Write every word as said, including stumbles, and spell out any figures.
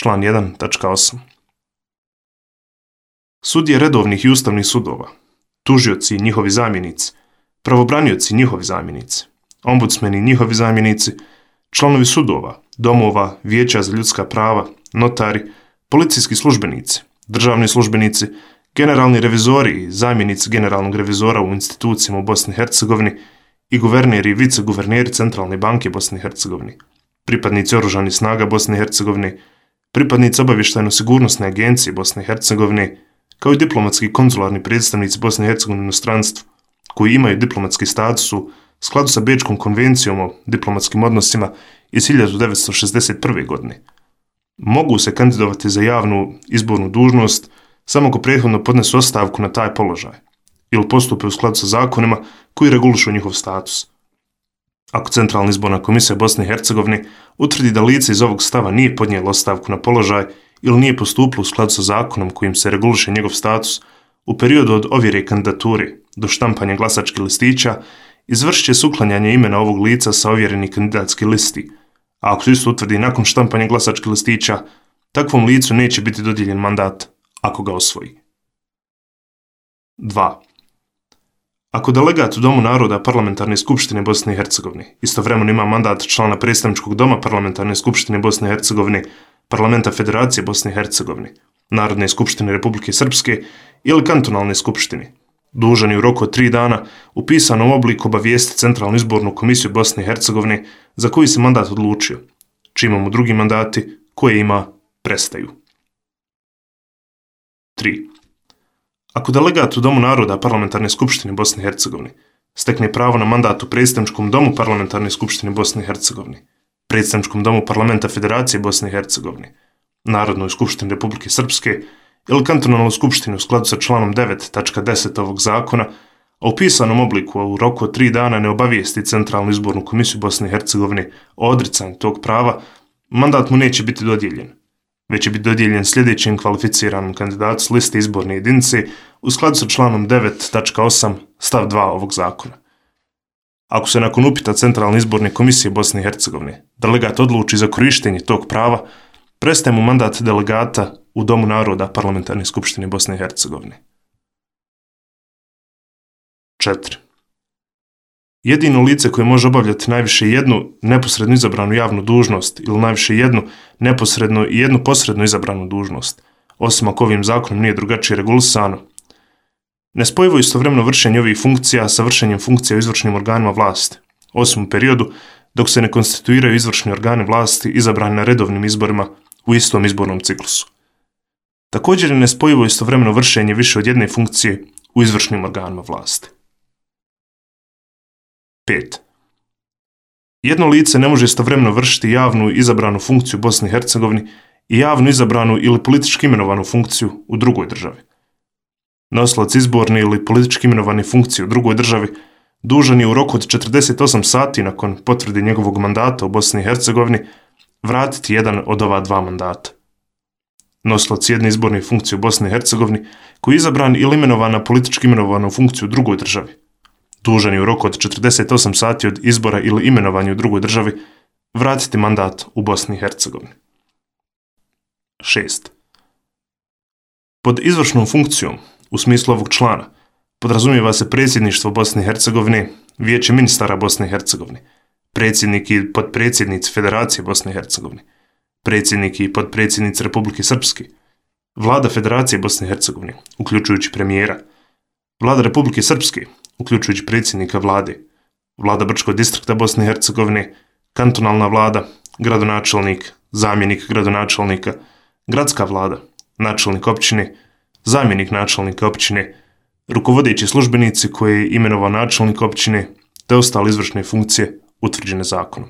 član jedan tačka osam. Sudije redovnih i ustavnih sudova, tužioci i njihovi zamjenici, pravobranioci i njihovi zamjenici, ombudsmeni i njihovi zamjenici, članovi sudova, domova, vijeća za ljudska prava, notari, policijski službenici, državni službenici, generalni revizori i zamjenici generalnog revizora u institucijama u Bosni i Hercegovini i guverneri i viceguverneri Centralne banke Bosne i Hercegovine, pripadnici oružanih snaga Bosne i Hercegovine, pripadnici obavještajno-sigurnosne agencije Bosne i Hercegovine, kao i diplomatski i konzularni predstavnici Bosne i Hercegovine u inostranstvu, koji imaju diplomatski status u skladu sa Bečkom konvencijom o diplomatskim odnosima iz hiljadu devetsto šezdeset prve. godine. Mogu se kandidovati za javnu izbornu dužnost samo ako prethodno podnesu ostavku na taj položaj ili postupe u skladu sa zakonima koji regulišu njihov status. Ako Centralna izborna komisija Bosne i Hercegovine utvrdi da lice iz ovog stava nije podnijelo ostavku na položaj ili nije postupilo u skladu sa zakonom kojim se reguliše njegov status, u periodu od ovjere kandidature do štampanja glasačkih listića izvršit će se uklanjanje imena ovog lica sa ovjerenih kandidatskih listi, a ako se isto utvrdi nakon štampanja glasačkih listića, takvom licu neće biti dodijeljen mandat ako ga osvoji. dva. Ako delegat u Domu naroda Parlamentarne skupštine Bosne i Hercegovine istovremeno ima mandat člana predstavničkog doma Parlamentarne skupštine Bosne i Hercegovine, Parlamenta Federacije Bosne i Hercegovine, Narodne skupštine Republike Srpske ili kantonalne skupštine, dužan je u roku od tri dana u pisanom obliku obavijestiti Centralnu izbornu komisiju Bosne i Hercegovine za koji se mandat odlučio, čime mu drugi mandati koje ima prestaju. tri. Ako delegat u Domu naroda Parlamentarne skupštine Bosne i Hercegovine stekne pravo na mandat u predstavničkom domu Parlamentarne skupštine Bosne i Hercegovine, predstavničkom domu Parlamenta Federacije Bosne i Hercegovine, Narodnoj skupštini Republike Srpske ili kantonalnoj skupštini u skladu sa članom devet tačka deset ovog zakona, a u pisanom obliku u roku od tri dana ne obavijesti Centralnu izbornu komisiju Bosne i Hercegovine o odricanju tog prava, mandat mu neće biti dodijeljen, već će biti dodijeljen sljedećem kvalificiranom kandidatu s liste izborne jedinice u skladu sa članom devet tačka osam stav dva ovog zakona. Ako se nakon upita Centralne izborne komisije Bosne i Hercegovine delegat odluči za korištenje tog prava, prestaje mu mandat delegata u Domu naroda Parlamentarne skupštine Bosne i Hercegovine. četiri. Jedino lice koje može obavljati najviše jednu neposredno izabranu javnu dužnost ili najviše jednu neposredno i jednu posredno izabranu dužnost, osim ako ovim zakonom nije drugačije regulisano, nespojivo istovremeno vršenje ovih funkcija sa vršenjem funkcija u izvršnim organima vlasti, osim u periodu dok se ne konstituiraju izvršni organi vlasti izabrani na redovnim izborima u istom izbornom ciklusu. Također je nespojivo istovremeno vršenje više od jedne funkcije u izvršnim organima vlasti. pet. Jedno lice ne može istovremeno vršiti javnu izabranu funkciju u Bosni i Hercegovini i javnu izabranu ili politički imenovanu funkciju u drugoj državi. Nosilac izborne ili politički imenovane funkcije u drugoj državi dužan je u roku od četrdeset osam sati nakon potvrde njegovog mandata u Bosni i Hercegovini vratiti jedan od ova dva mandata. Nosilac jedne izborne funkcije u Bosni i Hercegovini koji je izabran ili imenovan na politički imenovanu funkciju u drugoj državi, dužan je u roku od četrdeset osam sati od izbora ili imenovanja u drugoj državi vratiti mandat u Bosni i Hercegovini. šest. Pod izvršnom funkcijom, u smislu ovog člana, podrazumijeva se predsjedništvo Bosne i Hercegovine, Vijeće ministara Bosne i Hercegovine, predsjednik i podpredsjednici Federacije Bosne i Hercegovine, predsjednik i podpredsjednici Republike Srpske, Vlada Federacije Bosne i Hercegovine, uključujući premijera, Vlada Republike Srpske, uključujući predsjednika vlade, Vlada Brčkog distrikta Bosne i Hercegovine, kantonalna vlada, gradonačelnik, zamjenik gradonačelnika, gradska vlada, načelnik općine, zamjenik načelnika općine, rukovodeći službenici koje je imenovao načelnik općine te ostale izvršne funkcije utvrđene zakonom.